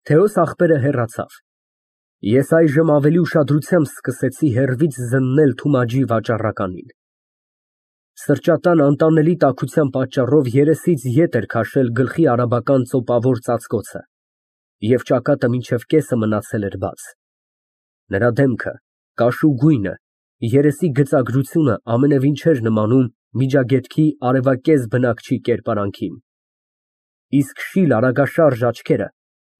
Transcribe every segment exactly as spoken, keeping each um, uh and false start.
Թեոս աղբերը հեռացավ։ Ես այժմ ավելի ուշադրությամբ սկսեցի հեռվից զննել Թումաջի վաճառականին։ Սրճատան անտանելի տաքության պատճառով երեսից ետ էր քաշել գլխի արաբական ծոպավոր ծածկոցը և ճակատը մինչև կեսը մնացել էր բաց։ Նրա դեմքը, կաշու գույնը, երեսի գծագրությունը ամենևին չէր նմանում Միջագետքի արևակեզ բնակչի կերպարանքին, իսկ շիլ արագաշարժ աչքերը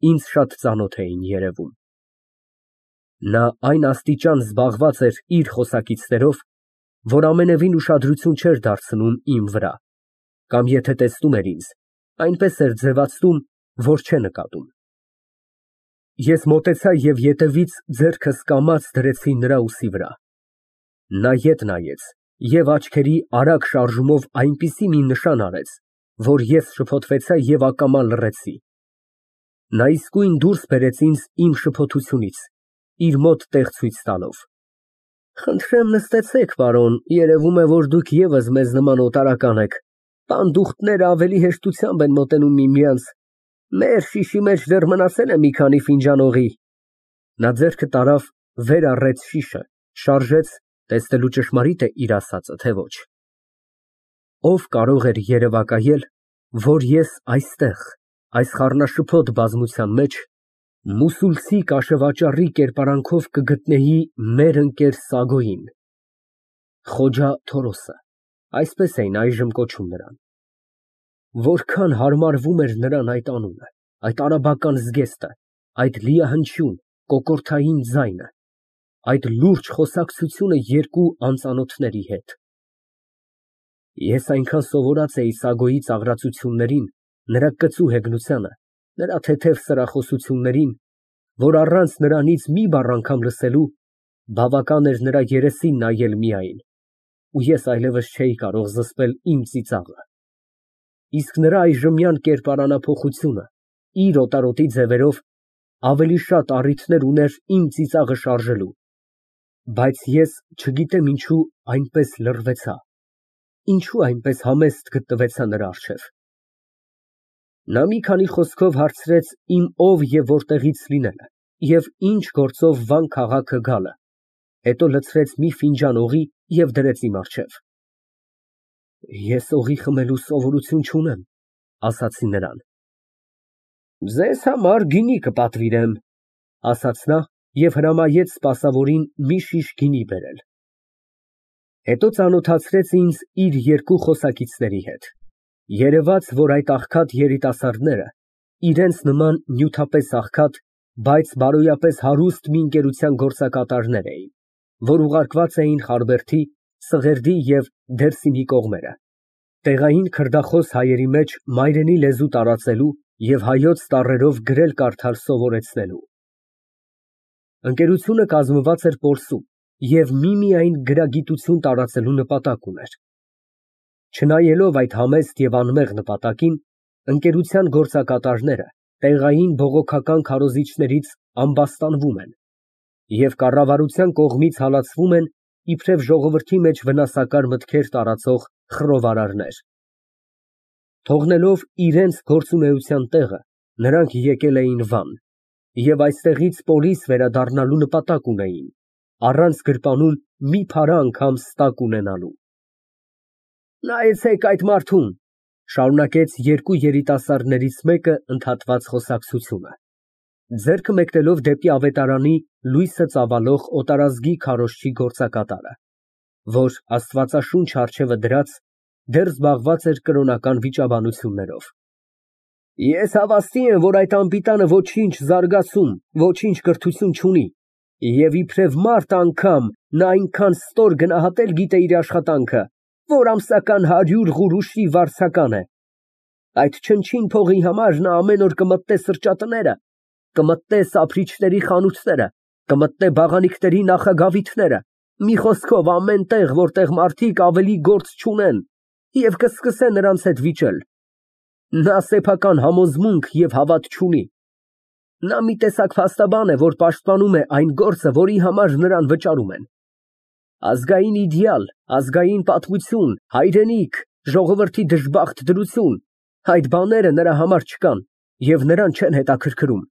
ինձ շատ ծանոթ էին երևում։ Նա այն աստիճան զբաղված էր իր խոսակիցներով, որ ամենևին ուշադրություն չէր դարձնում իմ վրա, կամ եթե տեսնում էր ինձ, այնպես էր ձևացնում, որ չէ նկատում։ Ես մոտեցա և ետևից ձեռքս կամաց դրեցի նրա ուսի վրա։ Նա ետ նայեց և աչքերի արագ շարժումով այնպիսի մի նշան արեց, որ ես շփոթվեցա և ակամա լռեցի։ Նա իսկույն դուրս բերեց ինձ իմ շփոթությունից, իր մոտ տեղ ցույց տալով։ Խնդրեմ նստեցեք, պարոն, երևում է, որ դուք ևս մեզ նման օտարական եք, պանդուխտները ավելի հեշտությամբ են մոտենում միմյանց, մեր շիշի մեջ դեռ մնացել է մի քանի ֆինջան օղի։ Նա ձեռքը տարավ, վեր առեց շիշը, շարժեց, տեսնելու ճշմարիտ է իր ասածը, թե ոչ։ Ով կարող էր երևակայել, որ ես այստեղ, այս խառնաշփոթ բազմության մեջ, մուսուլցի կաշեվաճառի կերպարանքով կգտնեի մեր ընկեր Սագոյին, Խոջա Թորոսը, այսպես էին այժմ կոչում նրան։ Որքան հարմարվում էր նրան այդ անունը, այդ արաբական զգեստը, այդ լիահնչյուն, կոկորդային ձայնը, այդ լուրջ խոսակցությունը երկու անծանոթների հետ։ Ես այնքան սովորած էի Սագոյի ծաղրածություններին, նրա կծու հեգնությանը, նրա թեթև սրախոսություններին, որ առանց նրանից մի բառ անգամ լսելու, բավական էր նրա երեսին նայել միայն, ու ես այլևս չէի կարող զսպել իմ ծիծաղը։ Իսկ նրա այժմյան կերպարանափոխությունը, իր օտարոտի ձևերով, ավելի շատ առիթներ ուներ իմ ծիծաղը շարժելու, բայց ես չգիտեմ ինչու այնպես լռվեցա, ինչու այնպես համեստ գտնվեցա նրա առջև։ Նա մի քանի խոսքով հարցրեց իմ ով և որտեղից լինելը և ինչ գործով Վան քաղաքը գալը, հետո լցրեց մի ֆինջան օղի և դրեց իմ առջև։ Ես օղի խմելու սովորություն չունեմ, ասացի նրան։ Ձեզ համար գինի կպատվիրեմ, ասաց նա և հրամայեց սպասավորին մի շիշ գինի բերել։ Հետո ծանոթացրեց ինձ իր երկու խոսակիցների հետ։ Երևաց, որ այդ աղքատ երիտասարդները իրենց նման նյութապես աղքատ, բայց բարոյապես հարուստ մի ընկերության գործակատարներ էին, որ ուղարկված էին Խարբերդի, Սղերդի և Դերսիմի կողմերը, տեղային քրդախոս հայերի մեջ մայրենի լեզու տարածելու և հայոց տառերով գրել֊կարդալ սովորեցնելու։ Ընկերությունը կազմված էր պոլսում և միմիայն գրագիտություն տարածելու նպատակ ուներ։ Չնայելով այդ համեստ և անմեղ նպատակին, ընկերության գործակատարները տեղային բողոքական քարոզիչներից ամբաստանվում են և կառավարության կողմից հալածվում են իբրև ժողովրդի մեջ վնասակար մտքեր տարածող խռովարարներ։ Թողնելով իրենց գործունեության տեղը, նրանք եկել էին Վան և այստեղից պոլիս վերադառնալու նպատակ ունեին, առանց գրպանում մի փարա անգամ ստակ ունենալու։ Նայեցեք այդ մարդուն, շարունակեց երկու երիտասարդներից մեկը ընդհատված խոսակցությունը, ձեռքը մեկնելով դեպի ավետարանի լույսը ծավալող օտարազգի քարոզչի գործակատարը, որ, աստվածաշունչ առջևը դրած, դեռ զբաղված էր կրոնական վիճաբանություններով։ Ես հավաստի եմ, որ այդ անպիտանը ոչինչ զարգացում, ոչինչ կրթություն չունի, և իբրև մարդ անգամ նա այնքան ստոր գնահատել գիտե իր աշխատանքը, որ ամսական հարյուրղուրուշի վարձական է։ Այդ չնչին փողի համար նա ամեն օր կմտնե սրճատները, կմտնե սափրիչների խանութները, կմտնե բաղանիքների նախագավիթները, մի խոսքով ամեն տեղ, որտեղ մարդիկ ավելի գործ չունեն, և կսկսե նրանց հետ վիճել։ Նա սեփական համոզմունք և հավատ չունի։ Նա մի տեսակ փաստաբան է, որ պաշտպանում է այն գործը, որի համար նրան վճարում են։ Ազգային իդեալ, ազգային պատմություն, հայրենիք, ժողովրդի դժբախտ դրություն, այդ բաները նրա համար չկան և նրան չեն հետաքրքրում։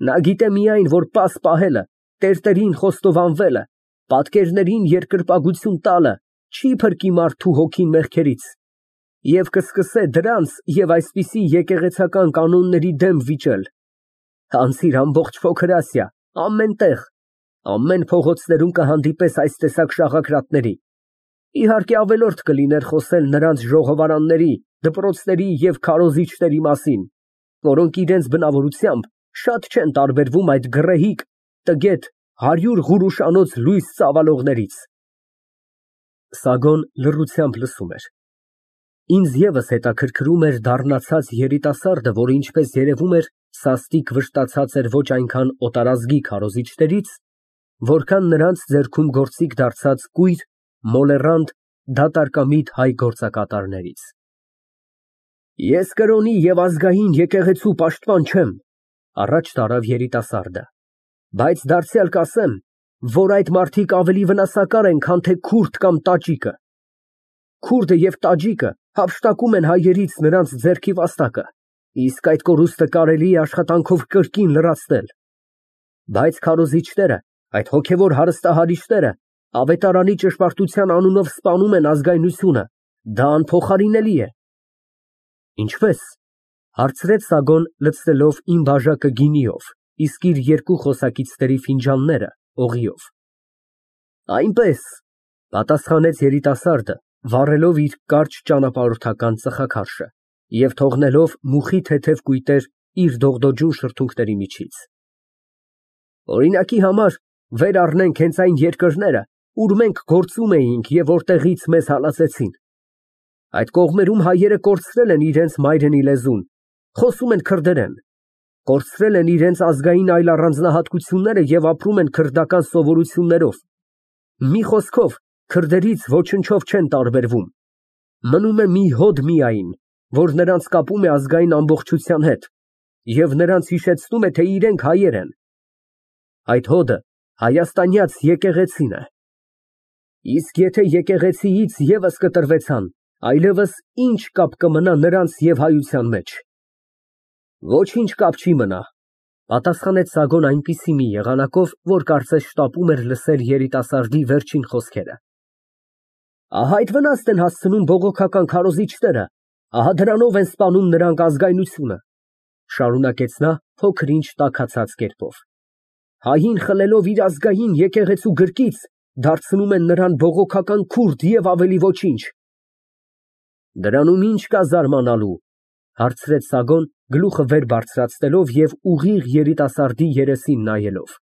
Նա գիտե միայն, որ պաս պահելը, տերտերին խոստովանվելը, պատկերներին երկրպագություն տալը չի փրկի մարդու հոգին մեղքերից, և կսկսե դրանց և այսպիսի եկեղեցական կանոնների դեմ վիճել։ Անցիր ամբողջ Փոքր Ասիա, ամեն տեղ, ամեն փողոցներում կհանդիպես այս տեսակ շաղակրատների, իհարկե ավելորդ կլիներ խոսել նրանց ժողովարանների, դպրոցների և քարոզիչների մասին, որոնք իրենց բնավորությամբ շատ չեն տարբերվում այդ գռեհիկ, տգետ, հարյուր ղուրուշանոց լույս ծավալողներից։ Սագոն լռությամբ լսում էր։ Ինձ ևս հետաքրքրում էր դառնացած երիտասարդը, որը ինչպես երևում էր, սաստիկ վշտացած էր ոչ այնքան օտարազգի քարոզիչներից, որքան նրանց ձեռքում գործիք դարձած կույր, մոլեռանդ, դատարկամիտ հայ գործակատարներից։ Ես կրոնի և ազգային եկեղեցու պաշտպան չեմ, առաջ տարավ երիտասարդը, բայց դարձյալ կասեմ, որ այդ մարդիկ ավելի վնասակար են, քան թե քուրդ կամ տաջիկը։ Քուրդը և տաջիկը հափշտակում են հայերից նրանց ձեռքի վաստակը, իսկ այդ կորուստը կարելի է աշխատանքով կրկին լրացնել։ Բայց քարոզիչները, այդ հոգևոր հարստահարիչները, ավետարանի ճշմարտության անունով սպանում են ազգայնությունը, դա անփոխարինելի է։ Ինչպե՞ս, հարցրեց Սագոն, լցնելով իմ բաժակը գինիով, իսկ իր երկու խոսակիցների ֆինջանները օղիով։ Այնպես, պատասխանեց երիտասարդը, վառելով իր կարճ ճանապարհորդական ծխախարշը և թողնելով մուխի թեթև կույտեր իր դողդոջուն շրթունքների միջից։ Օրինակի համար, վեր առնենք հենց այն երկրները, ուր մենք գործում էինք և որտեղից մեզ հալածեցին։ Այդ կողմերում հայերը կորցրել են իրենց մայրենի լեզուն, խոսում են քրդերեն, կորցրել են իրենց ազգային այլ առանձնահատկությունները և ապրում են քրդական սովորություններով։ Մի խոսքով, քրդերից ոչնչով չեն տարբերվում։ Մնում է մի հոդ միայն, որ նրանց կապում է ազգային ամբողջության հետ և նրանց հիշեցնում է, թե իրենք հայեր են։ Այդ հոդը հայաստանյաց եկեղեցին է։ Իսկ եթե եկեղեցիից ևս կտրվեցան, այլևս ինչ կապ կմնա նրանց և հայության մեջ։ Ոչինչ կապ չի մնա, պատասխանեց Սագոն այնպիսի մի եղանակով, որ կարծես շտապում էր լսել երիտասարդի վերջին խոսքերը։ Ահա այդ վնասն են հասցնում բողոքական քարոզիչները, ահա դրանով են սպանում նրանք ազգայնությունը, շարունակեց նա փոքր-ինչ տաքացած կերպով։ Հային խլելով իր ազգային եկեղեցու գրկից, դարձնում են նրան բողոքական քուրդ և ավելի ոչինչ։ Դրանում ի՞նչ կա զարմանալու, հարցրեց Սագոն, գլուխը վեր բարձրացնելով և ուղիղ երիտասարդի երեսին նայելով։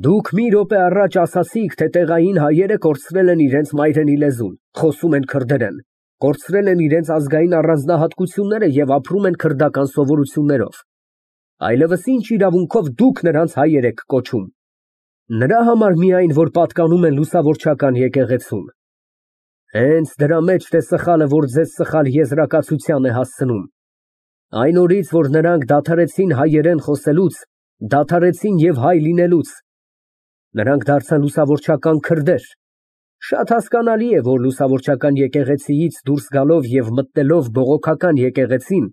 Դուք մի րոպե առաջ ասացիք, թե տեղային հայերը կորցրել են իրենց մայրենի լեզուն, խոսում են քրդերեն, կորցրել են իրենց ազգային առանձնահատկությունները և ապրում են քրդական սովորություններով։ Այլևս ինչ իրավունքով դուք նրանց հայեր եք կոչում։ Նրա համար միայն, որ պատկանում են լուսավորչական եկեղեցուն։ Հենց դրա մեջն է սխալը, որ ձեզ սխալ եզրակացության է հասցնում։ Այն օրից, որ նրանք դադարեցին հայերեն խոսելուց, դադարեցին և հայ լինելուց, նրանք դարձան լուսավորչական քրդեր։ Շատ հասկանալի է, որ լուսավորչական եկեղեցիից դուրս գալով և մտնելով բողոքական եկեղեցին,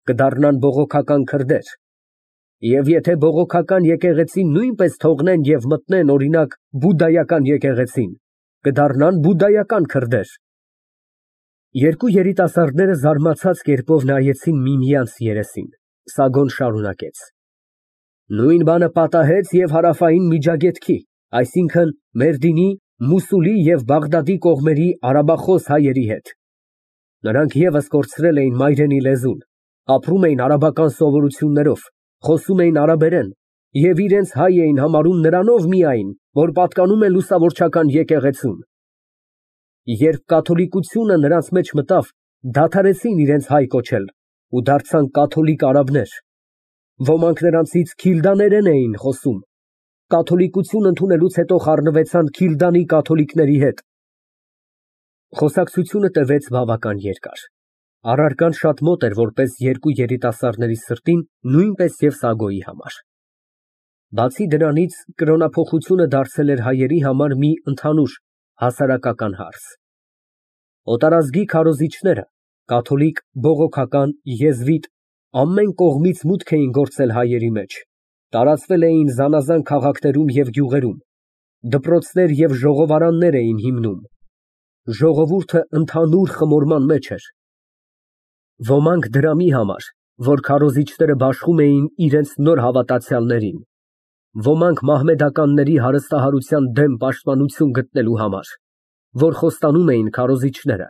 կդառնան բողոքական քրդեր։ Եվ եթե բողոքական եկեղեցին նույնպես թողնեն և մտնեն, օրինակ, բուդդայական եկեղեցին, կդառնան բուդդայական քրդեր։ Երկու երիտասարդները զարմացած կերպով նայեցին միմյանց երեսին։ Սագոն շարունակեց. Նույն բանը պատահեց և հարավային Միջագետքի, այսինքն Մերդինի, Մուսուլի և Բաղդադի կողմերի արաբախոս հայերի հետ։ Նրանք ևս կորցրել էին մայրենի լեզուն, ապրում էին արաբական սովորություններով, խոսում էին արաբերեն և իրենց հայ էին համարում նրանով միայն, որ պատկանում են լուսավորչական եկեղեցուն։ Երբ կաթոլիկությունը նրանց մեջ մտավ, դադարեցին իրենց հայ կոչել ու դարձան կաթոլիկ արաբներ։ Ոմանք նրանցից քիլդաներեն էին խոսում, կաթոլիկություն ընդունելուց հետո խառնվեցան քիլդանի կաթոլիկների հետ։ Խոսակցությունը տևեց բավական երկար։ Առարկան շատ մոտ էր որպես երկու երիտասարդների սրտին, նույնպես և Սագոյի համար։ Բացի դրանից, կրոնափոխությունը դարձել էր հայերի համար մի ընդհանուր հասարակական հարց։ Օտարազգի քարոզիչները, կաթոլիկ, բողոքական, եզվիտ, ամեն կողմից մուտք էին գործել հայերի մեջ, տարածվել էին զանազան քաղաքներում և գյուղերում, դպրոցներ և ժողովարաններ էին հիմնում, ժողովուրդը ընդհանուր խմորման մեջ էր։ Ոմանք դրամի համար, որ քարոզիչները բաշխում էին իրենց նոր հավատացյալներին, ոմանք մահմեդականների հարստահարության դեմ պաշտպանություն գտնելու համար, որ խոստանում էին քարոզիչները,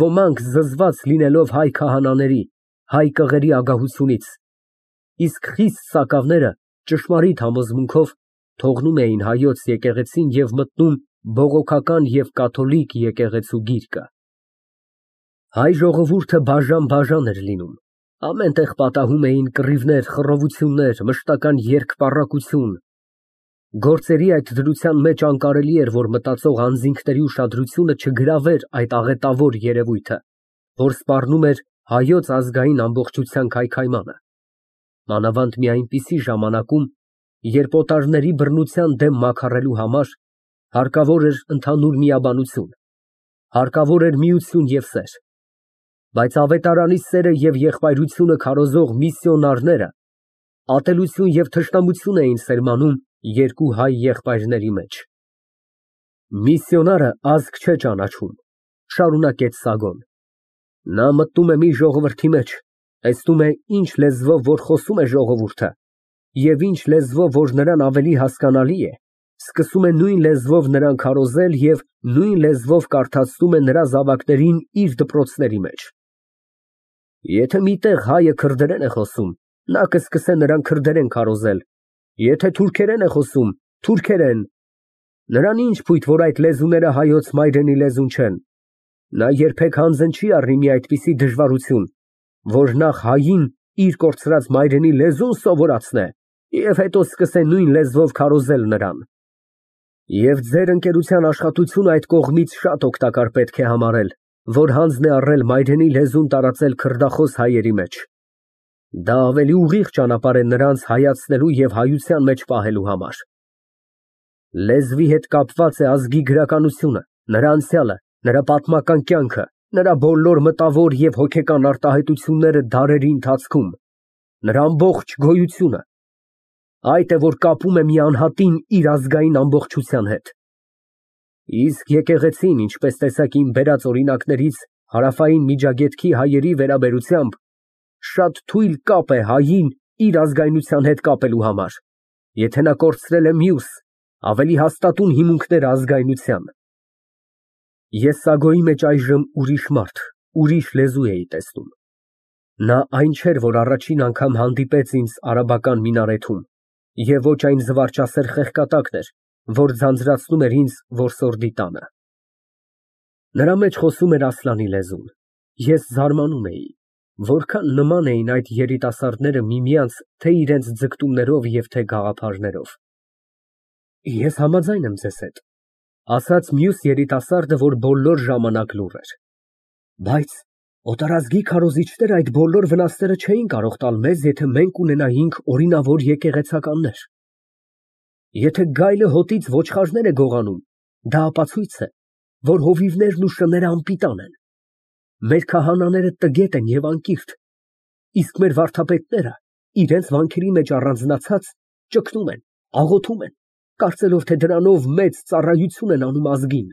ոմանք զզված լինելով հայ քահանաների, հայ կղերի ագահությունից, իսկ խիստ սակավները ճշմարիտ համոզմունքով թողնում էին հայոց եկեղեցին և մտնում բողոքական և կաթոլիկ եկեղեցու գիրկը։ Հայ ժողովուրդը բաժան֊բաժան էր լինում, ամեն տեղ պատահում էին կռիվներ, խռովություններ, մշտական երկպառակություն, գործերի այդ դրության մեջ անկարելի էր, որ մտածող անձինքների ուշադրությունը չգրավեր այդ աղետավոր երևույթը, որ սպառնում էր հայոց ազգային ամբողջության քայքայմանը, մանավանդ մի այնպիսի ժամանակում, երբ օտարների բռնության դեմ մաքարելու համար հարկավոր էր ընդհանուր միաբանություն, հարկավոր էր միություն և սեր, բայց ավետարանի սերը և եղբայրությունը քարոզող միսիոնարները ատելություն և թշնամություն էին սերմանում երկու հայ եղբայրների մեջ։ Միսիոնարը ազգ չէ ճանաչում, շարունակեց Սագոն, նա մտնում է մի ժողովրդի մեջ, տեսնում է ինչ լեզվով որ խոսում է ժողովուրդը և ինչ լեզվով որ նրան ավելի հասկանալի է, սկսում է նույն լեզվով նրան քարոզել և նույն լեզվով կարդացնում է նրա զավակներին իր դպրոցների մեջ։ Եթե միտեղ հայը քրդերեն է խոսում, նա կսկսե նրան քրդերեն քարոզել, եթե թուրքերեն է խոսում, թուրքերեն, նրան ինչ փույթ, որ այդ լեզուները հայոց մայրենի լեզուն չեն, նա երբեք հանձն չի առնի մի այդպիսի դժվարություն, որ նախ հային իր կորցրած մայրենի լեզուն սովորացնե և հետո սկսե նույն լեզվով քարոզել նրան։ Եվ ձեր ընկերության աշխատությունը այդ կողմից շատ օգտակար պետք է համարել, որ հանձն է առել մայրենի լեզուն տարածել քրդախոս հայերի մեջ։ Դա ավելի ուղիղ ճանապարհ է նրանց հայացնելու և հայության մեջ պահելու համար։ Լեզվի հետ կապված է ազգի գրականությունը, նրա անցյալը, նրա պատմական կյանքը, նրա բոլոր մտավոր և հոգեկան արտահայտությունները դարերի ընթացքում, նրա ամբողջ գոյությունը, այդ է, որ կապում է մի անհատին իր ազգային ամբողջության հետ։ Իսկ եկեղեցին, ինչպես տեսակ իմ բերած օրինակներից հարավային Միջագետքի հայերի վերաբերությամբ, շատ թույլ կապ է հային իր ազգայնության հետ կապելու համար, եթե նա կորցրել է մյուս, ավելի հաստատուն հիմունքները ազգայնության։ Ես Սագոյի մեջ այժմ ուրիշ մարդ, ուրիշ լեզու էի տեսնում։ Նա այն չէր, որ առաջին անգամ հանդիպեց ինձ արաբական մինարեթում, և ոչ այն զվարճասեր խեղկատակն էր, որ ձանձրացնում էր ինձ որսորդի տանը։ Նրա մեջ խոսում էր Ասլանի լեզուն։ Ես զարմանում էի, որքան նման էին այդ երիտասարդները միմյանց թե իրենց ձգտումներով և թե գաղափարներով։ Ես համաձայն եմ ձեզ հետ, ասաց մյուս երիտասարդը, որ բոլոր ժամանակ լուռ էր, բայց օտարազգի քարոզիչները այդ բոլոր վնասները չէին կարող տալ մեզ, եթե մենք ունենայինք օրինավոր եկեղեցականներ։ Եթե գայլը հոտից ոչխարներ է գողանում, դա ապացույց է, որ հովիվներն ու շները անպիտան են։ Մեր քահանաները տգետ են և անկիրք, իսկ մեր վարդապետները, իրենց վանքերի մեջ առանձնացած, ճգնում են, աղոթում են, կարծելով, թե դրանով մեծ ծառայություն են անում ազգին։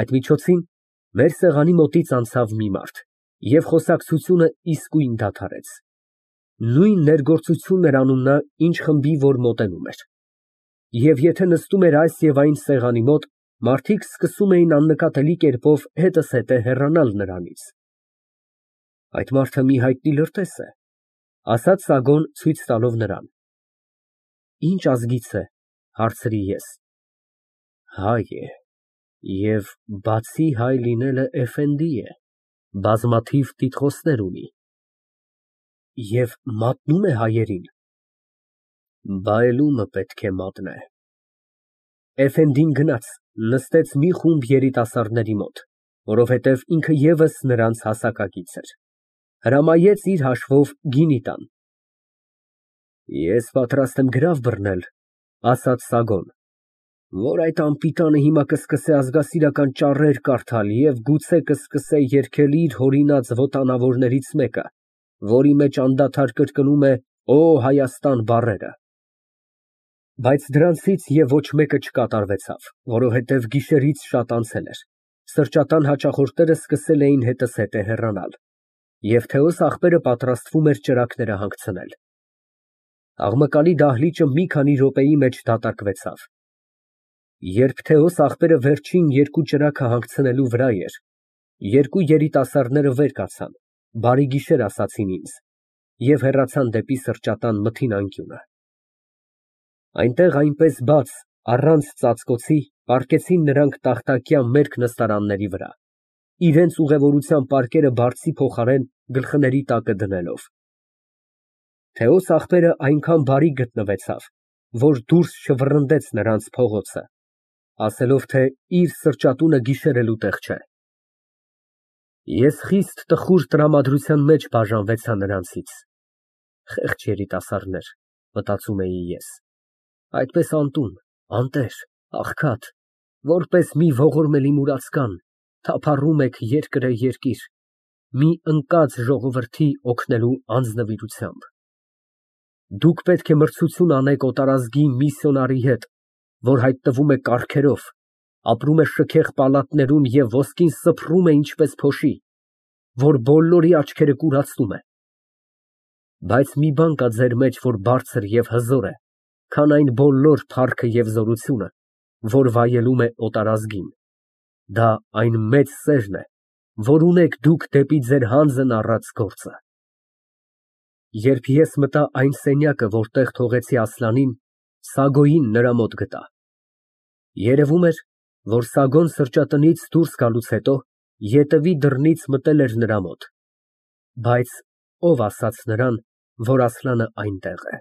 Այդ միջոցին մեր սեղանի մոտից անցավ մի մարդ, և խոսակցությունը իսկույն դադարեց։ Նույն ներգործությունն էր անում նա, ինչ խմբի, որ մոտենում էր։ Եվ եթե նստում էր այս և այն սեղանի մոտ, մարդիկ սկսում էին աննկատելի կերպով հետզհետե հեռանալ նրանից։ Այդ մարդը մի հայտնի լրտես է, ասաց Սագոն ցույց տալով նրան։ Ինչ ազգից է, հարցրի ես։ Հայ է, և բացի հայ լինելը էֆենդի է, բազմաթիվ տիտղոսներ ունի։ Եվ մատնում է հայերին։ Բայելումը պետք է մատնե։ Էֆենդին գնաց, նստեց մի խումբ երիտասարդների մոտ, որովհետև ինքը ևս նրանց հասակակից էր, հրամայեց իր հաշվով գինի տան։ Ես պատրաստ եմ գրավ բռնել, ասաց Սագոն, որ այդ անպիտանը հիմա կսկսե ազգասիրական ճառեր կարդալ և գուցե կսկսե երգել իր հորինած ոտանավորներից մեկը, որի մեջ անդադար կրկնում է Օ Հայաստան բառերը։ Բայց դրանցից և ոչ մեկը չկատարվեցավ, որովհետև գիշերից շատ անցել էր, սրճատան հաճախորդները սկսել էին հետզհետե հեռանալ, և Թեոս աղբերը պատրաստվում էր ճրագները հանգցնել։ Աղմկալի դահլիճը մի քանի րոպեի մեջ դատարկվեցավ։ Երբ Թեոս աղբերը վերջին երկու ճրագը հանգցնելու վրա էր, երկու երիտասարդները վեր կացան, բարի գիշեր ասացին ինձ և հեռացան դեպի սրճատան մթին անկյունը։ Այնտեղ այնպես բաց, առանց ծածկոցի, պառկեցին նրանք տախտակյա մերկ նստարանների վրա, իրենց ուղևորության պարկերը բարձի փոխարեն գլխների տակը դնելով։ Թեոս աղբերը այնքան բարի գտնվեցավ, որ դուրս չվռնդեց նրանց փողոցը, ասելով, թե իր սրճատունը գիշերելու տեղ չէ։ Ես խիստ տխուր տրամադրության մեջ բաժանվեցա նրանցից։ Խեղճ երիտասարդներ, մտածում էի ես, այդպես անտուն, անտեր, աղքատ, որպես մի ողորմելի մուրացկան, թափառում եք երկրեերկիր, մի ընկած ժողովրդի օգնելու անձնվիրությամբ։ Դուք պետք է մրցություն անեք օտարազգի միսիոնարի հետ, որ հայտնվում է կառքերով, ապրում է շքեղ պալատներում և ոսկին սփռում է ինչպես փոշի, որ բոլորի աչքերը կուրացնում է։ Բայց մի բան կա ձեր մեջ, որ բարձր և հզոր է, քան այն բոլոր փառքը և զորությունը, որ վայելում է օտարազգին, դա այն մեծ սերն է, որ ունեք դուք դեպի ձեր հանձն առած գործը։ Երբ ես մտա այն սենյակը, որտեղ թողեցի Ասլանին, Սագոյին նրա մոտ գտա։ Երևում էր, որ Սագոն սրճարանից դուրս գալուց հետո ետևի դռնից մտել էր նրա մոտ, բայց ո՞վ ասաց նրան, որ Ասլանը այնտեղ է։